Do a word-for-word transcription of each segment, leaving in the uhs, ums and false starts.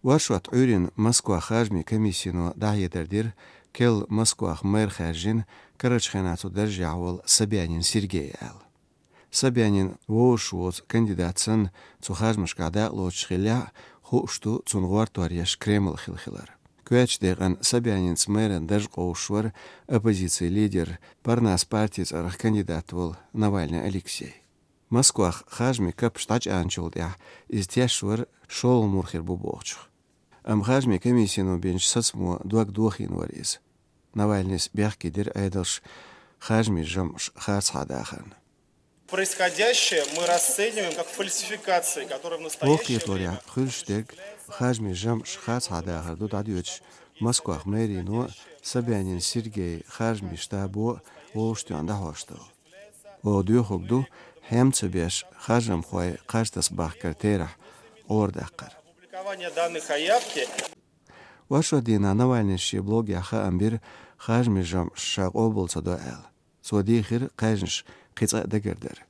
Оршот Ӏуьйрийна Москвах харжамийн комиссино дӀахьедар дира, керла Москвах мэр хаьржина, карарчу хенахь цу даржехь волу Собянин Сергей аьлла. Собянин вовшаш воцу кандидат санна цу харжамашкахь дакъалоцуш хиллехь а, хууш ду цунна гӀортор еш Кремль хилла хилар. Коьртачу декъана Собянинца мэран дарж къовсуш вара оппозицин лидер, Парнас партин цӀарах кандидат волу Навальный Алексей. Москвах харжамийн каппаш дӀачӀагӀначул тӀаьхьа иза тешаш вара, шолгӀа мур хир бу бохучух. Амма харжамийн комиссино бинчу сацамо дог дохийна вара иза. Навальныйс бехке дира Ӏедалш харжамийн жамӀаш харцахьа дахарна. Происходящее мы расцениваем как фальсификации, которые в настоящее время... Воккхаторехь, хуьлуш дерг харжамийн жамӀаш харцахьа дахар ду дӀадоьдуш, Москвах мэрино Собянин Сергей харжамийн штабо вовшахтоьхна дӀахьош ду. Оха доьхург ду, хьем ца беш, харжамхой кхаж таса бахкар терахь гӀора даккхар. Опубликование данных о явке. Оршот дийнахь Навальныйс шен блогехь хаам бира, харжамийн жамӀаш ша къобал ца до аьлла. Цо дийхира кхаьжнаш кхин цкъа а дагардара.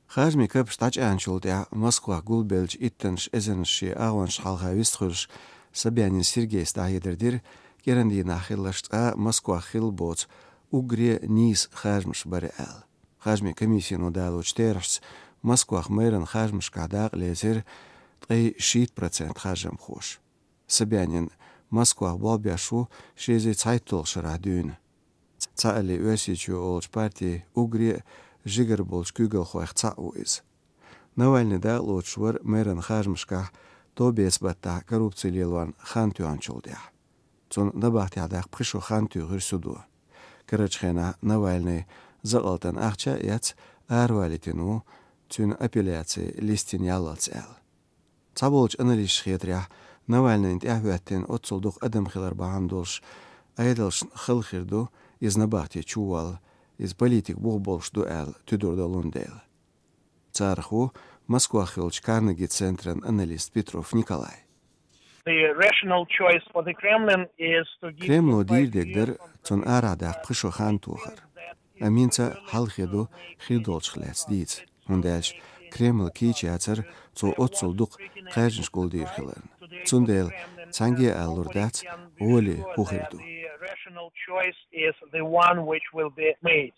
Харжамийн каппаш дӀачӀагӀначул тӀаьхьа Москвах гулбеллачу иттаннаш эзарнаш шен агӀончашна хьалха вистхуьлуш, Собянин Сергейс дӀахьедар дира, кӀиран дийнахь хилларш цкъа а Москвах хилла боцу уггаре а нийса харжамаш бара аьлла. Харжамийн комиссино далочу терахьашца, Москвах мэран харжамашкахь дакъа лецира ткъе шийтта процент харжамхоша. Собянин Москвах болх беш ву ши эзар цхьайтталгӀачу шарахь дуьйна. Цхьааллин Оьрсийчоь олучу партин уггаре а жигара болчу куьйгалхойх цхьаъ ву иза. Навальный дакъалоцуш вара мэран харжамашкахь товбеца-баттахь коррупци лелорна хан тоьхначул тӀаьхьа. Цунна набахтехь даккха пхи шо хан туьйхира судо. Карарчу хенахь Навальный закъалтан ахча а эцна, аравалийтина ву, цуьнан апелляци листина яллалц аьлла. Цхьаболчу аналисташа хетарехь, Навальныйна тӀаьхьахӀоьттина оццул дукха адам хилар бахьана долуш, Ӏедалшна хала хир ду иза набахте чуволла, иза политик бух болуш ду аьлла туьдур долун дела. Царах ву Москвах йолчу Карнеги-центран аналист Петров Николай. The rational choice for the Kremlin is to give... Кремло дийр дерг дара цунна арахь даккха пхи шо хан тохар. Амма хӀинца а хьалхе ду хир долчух лаьцна дийца, хӀунда аьлча Кремлан кийча яцара цо оццул дукха кхаьжнаш гулдийр хиларна. Цундела цхьаьнгге а алалур дац, гӀоле хӀун хир ду. The rational choice is the one which will be made.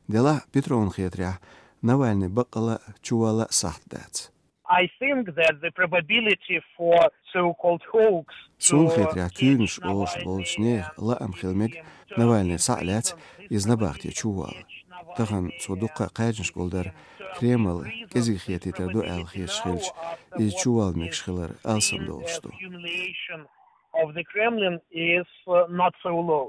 Делахь а, Петровна хетарехь, Навальный баккъала а, чуволла а сахьт дац. I think that the probability for so-called hoax... Суна хетарехь, куьйранаш олуш болчу нехан лаам хила мега Навальный схьа а лаьцна иза набахте чуволла. Тахана цо дуккха а кхаьжнаш гулдар Кремль кӀезиг хетийтар ду аьлла хеташ хилча, иза чуволла мегаш хилар алсамдолуш ду. Of the Kremlin is, uh, not so low.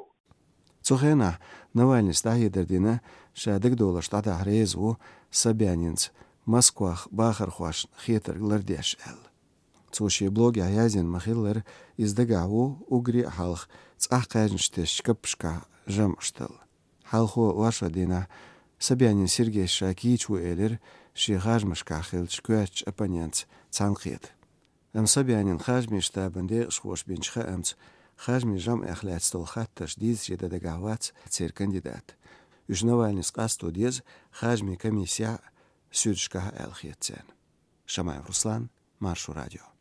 Цу хенахь Навальныйс дӀахьедар дина, ша дагадовларш дӀадахьа реза ву Собянинца Москвах бахархошна хетарг лардеш аьлла. Цо шен блогехь яздина ма-хиллара, иза дагахь ву уггаре а хьалха цӀахь кхаьжнаш тесначу каппашкахь жамӀаш талла. Хьалхо оршот дийнахь Собянин Сергейс ша кийча ву элира шен харжамашкахь хиллачу коьртачу оппонентца цхьаьнакхета. Амма Собянин харжамийн штабан декъашхоша бинчу хаамца, харжамийн жамӀех лаьцна долу хаттарш дийцаре дан дагахь вац церан кандидат. Уьш Навальныйс къасто деза харжамийн комиссехь а, суьдашкахь а аьлла хета царна. Шамаев Руслан, Маршо радио.